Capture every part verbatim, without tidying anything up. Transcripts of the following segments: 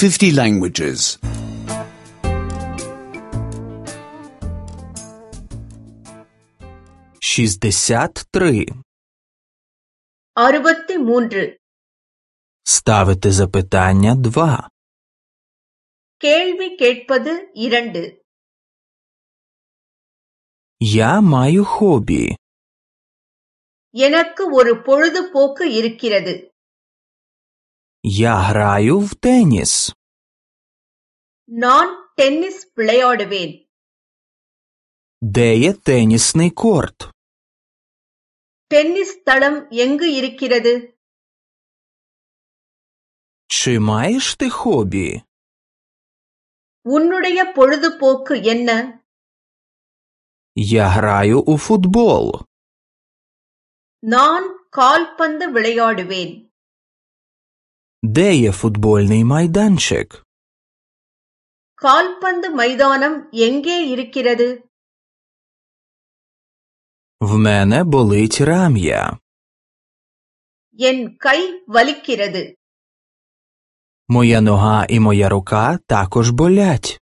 fifty languages. шістдесят три. அறுபத்தி மூன்று. Ставити запитання два. கேள்வி கேட்பது இரண்டு. Я маю хобі. எனக்கு ஒரு பொழுதுபோக்கு இருக்கிறது. Я граю в теніс. நான் டென்னிஸ் விளையாடுவேன். Де є тенісний корт? டென்னிஸ் தளம் எங்கு இருக்கிறது? Чи маєш ти хобі? உன்னுடைய பொழுதுபோக்கு என்ன? Я граю у футбол. நான் கால்பந்து விளையாடுவேன். Де є футбольний майданчик? கால்பந்து மைதானம் எங்கே இருக்கிறது? В мене болить рам'я. என் கை வலிக்கிறது. Моя нога і моя рука також болять.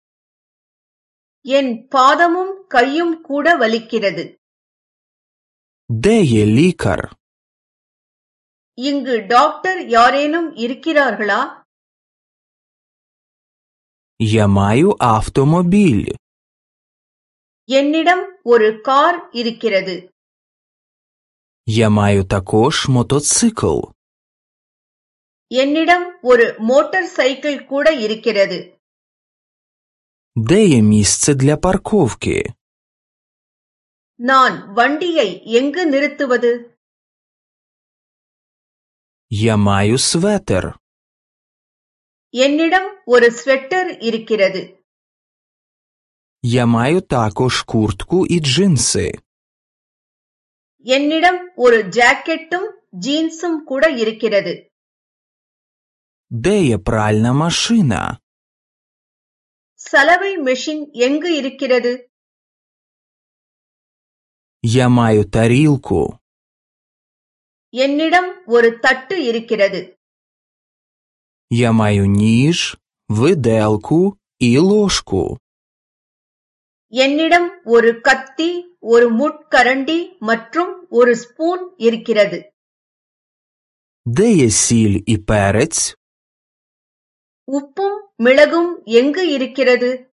என் பாதமும் கையும் கூட வலிக்கிறது. Де є лікар? இங்கு டாக்டர் யாரேனும் இருக்கிறார்களா? Я маю автомобіль. என்னிடம் ஒரு கார் இருக்கிறது. Я маю також мотоцикл. என்னிடம் ஒரு மோட்டார் சைக்கிள் கூட இருக்கிறது. Де є місце для парковки? நான் வண்டியை எங்கு நிறுத்துவது? Я маю светер. என்னிடம் ஒரு ஸ்வெட்டர் இருக்கிறது. Я маю також куртку і джинси. என்னிடம் ஒரு ஜாக்கெட்டும் ஜீன்ஸும் கூட இருக்கிறது. Де є пральна машина? சலவை மெஷின் எங்கு இருக்கிறது? Я маю тарілку. என்னிடம் ஒரு தட்டு இருக்கிறது. Я маю ніж, виделку і ложку. என்னிடம் ஒரு கத்தி, ஒரு முட்கரண்டி மற்றும் ஒரு ஸ்பூன் இருக்கிறது. Де є сіль і перець? உப்பும் மிளகும் எங்கு இருக்கிறது?